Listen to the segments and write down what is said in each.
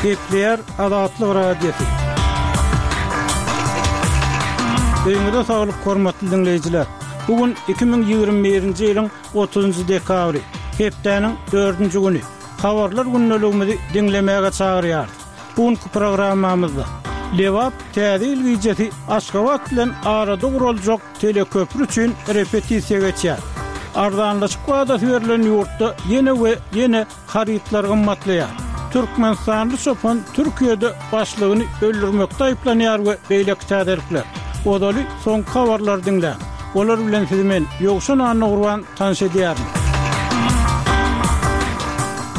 Gepleýär Azatlyk Radiosy. Öýüňize saglyk hormatly diňleýjiler. Bu gün 2021-nji ýylyň 30-njy dekabry, hepdäniň dördünji güni. Habarlar gündeligimizi diňlemäge çagyrýarys. Bu günki programmamyzda Lebap Täze ýyl gijesi Aşgabat bilen arada guraljak teleköpri üçin repetisiýa geçýär. Arzanlaşyk wadasy berlen ýurtda ýene we ýene harytlar gymmatlaýar. Türkmenistanly çopan Türkiýede başlygyny öldürmekde aýyplanýar we beýleki täzelikler. Ozaly soňky habarlary diňläň. Olar bilen sizi men, Ýowşan Annagurban tanyş edýärin.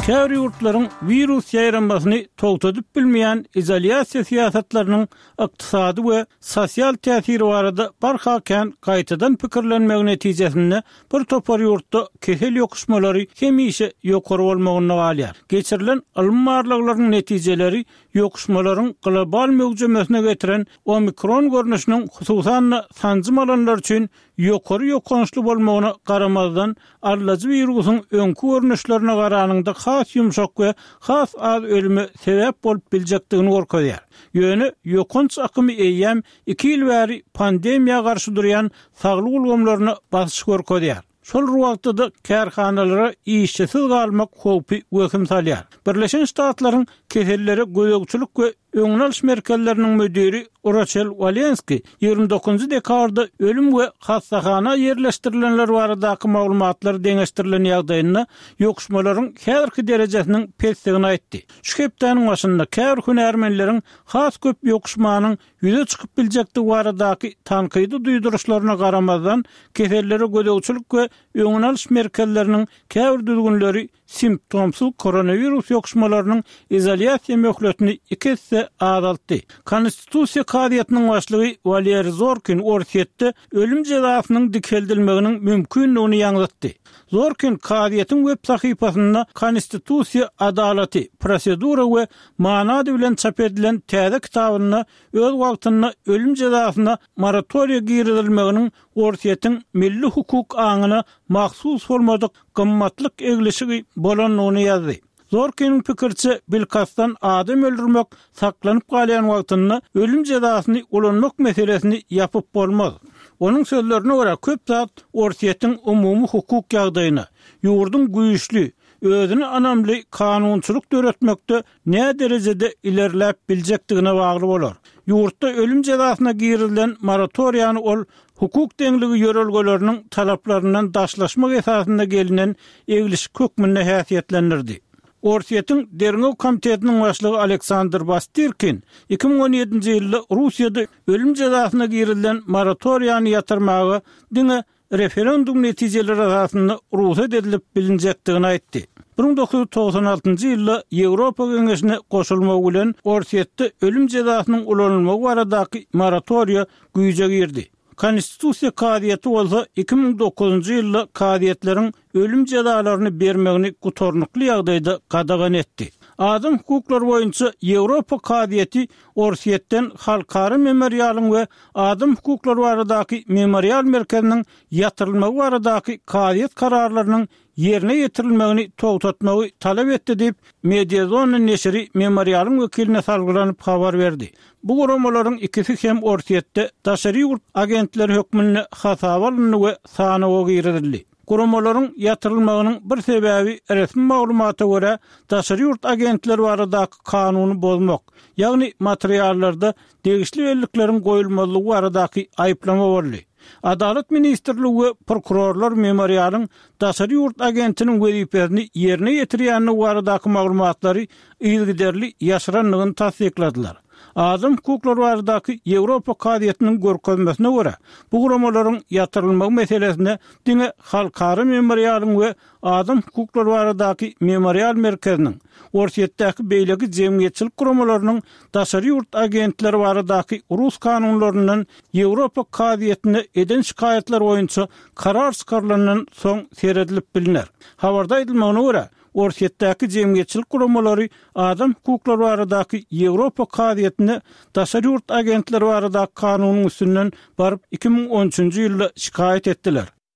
Käbir ýurtlaryň wirus ýaýramasyny togtadyp bilmeýän izolýasiýa syýasatlarynyň ykdysady we sosial täsiri barada barha kän gaýtadan pikirlenmegi netijesinde bir topar ýurtda kesel ýokuşmalary hemişe ýokary bolmagynda galýar. Geçirilen ylmy barlaglaryň netijeleri ýokuşmalaryň global möwjemesine getiren omikron görnüşiniň hususan-da sanjym alanlar üçin ýokary ýokançly bolmagyna garamazdan, aldajy wirusyň öňki görnüşlerine garanyňda has ýumşak we has az ölüme sebäp bolup biljekdigini görkezýär. Ýöne ýokanç akymy eýýäm iki ýyl bäri pandemiýa garşy durýan saglyk ulgamlaryna basyş görkezýär. Şol bir wagtda-da kärhanalara işçisiz galmak howpy wehim salýar. Birleşen Ştatlaryň Kesellere gözegçilik we Öňüni alyş merkezleriniň müdiri Roçel Walenski 29 dekabrda ölüm we hassahana ýerleşdirilenler baradaky maglumatlar deňeşdirilen ýagdaýynda ýokuşmalaryň häzirki derejesiniň pesdigini aýtdy. Şu hepdäniň başynda käbir hünärmenleriň has köp ýokuşmanyň ýüze çykyp biljekdigi baradaky tankydy duýduryşlaryna garamazdan, kesellere gözegçilik we öňüni alyş merkezleriniň käbir düzgünleri simptomsyz koronawirus ýokuşmalarynyň izolýasiýa möhletini iki esse azaltdy. Konstitusiýa kazyýetiniň başlygy Waleriý Zorkin Orsýetde ölüm jezasynyň dikeldilmeginiň mümkindigini ýaňzytdy. Zorkin kazyýetiň web sahypasynda Konstitusiýa adalaty, prosedura we many ady bilen çap edilen täze kitabynda öz wagtynda ölüm jezasyna moratoriýa girizilmeginiň Orsýetiň milli hukuk aňyna mahsus bolmadyk gymmatlyk eglişigi bolandygyny ýazdy. Zorkiniň pikiriçe, bilkastdan adam öldürmek saklanyp galýan wagtynda ölüm jezasyny ulanmak meselesini ýapyp bolmaz. Onuň sözlerine görä, köp zat Orsýetiň umumy hukuk ýagdaýyna, ýurduň güýçli, özüne ynamly kanunçylyk döretmekde näderejede ilerläp biljekdigine bagly bolar. Ýurtda ölüm jezasyna girizilen moratoriýany ol hukuk deňligi ýörelgeleriniň talaplaryndan daşlaşmak esasynda gelnen eglişik hökmünde häsiýetlendirdi. Orsýetiň Derňew komitetiniň başlygy Aleksandr Bastirkin 2017-nji ýylda Russiýada ölüm jezasyna girizilen moratoriýany ýatyrmaga diňe referendum netijeleri esasynda rugsat edilip bilinjekdigini aýtdy. 1996-njy ýylda Ýewropa Geňeşine goşulmagy bilen Orsýetde ölüm jezasynyň ulanylmagy baradaky moratoriýa güýje girdi. Konstitusiýa kazyýeti bolsa 2009-njy ýylda kazyýetleriň ölüm jezalaryny bermegini gutarnykly ýagdaýda gadagan etdi. Adam hukuklary boýunça Ýewropa kazyýeti Orsýetden Halkara memorialyň we Adam hukuklary baradaky memorial merkeziniň ýatyrylmagy baradaky kazyýet kararlarynyň ýerine ýetirilmegini togtatmagy talap etdi diýip, Mediazona neşiri memorialyň wekiline salgylanyp habar berdi. Bu guramalaryň ikisi hem Orsýetde daşary ýurt agentleri hökmünde hasaba alyndy we sanawa girizildi. Guramalaryň ýatyrylmagynyň bir sebäbi resmi maglumata görä, daşary ýurt agentleri baradaky kanuny bozmak, ýagny materiallarda degişli bellikleriň goýulmazlygy baradaky aýyplama boldy. Adalat ministrligi we prokurorlar Memorialyň daşary ýurt agentiniň wezipesini ýerine ýetirýändigi baradaky maglumatlary yzygiderli ýaşyrandygyny tassykladylar. Adam hukuklary baradaky Ýewropa kazyýetiniň görkezmesine görä, bu guramalaryň ýatyrylmagy meselesine diňe Halkara memorialyň we Adam hukuklary baradaky memorial merkeziniň, Orsýetdäki beýleki jemgyýetçilik guramalarynyň daşary ýurt agentleri baradaky rus kanunlaryndan Ýewropa kazyýetine eden şikaýatlary boýunça karar çykarylandan soň seredilip bilner. Habarda aýdylmagyna görä, Orsýetdäki jemgyýetçilik guramalary adam hukuklary baradaky Ýewropa kazyýetine daşary ýurt agentleri baradaky kanunyň üstünden baryp 2013-nji ýylda şikaýat etdiler.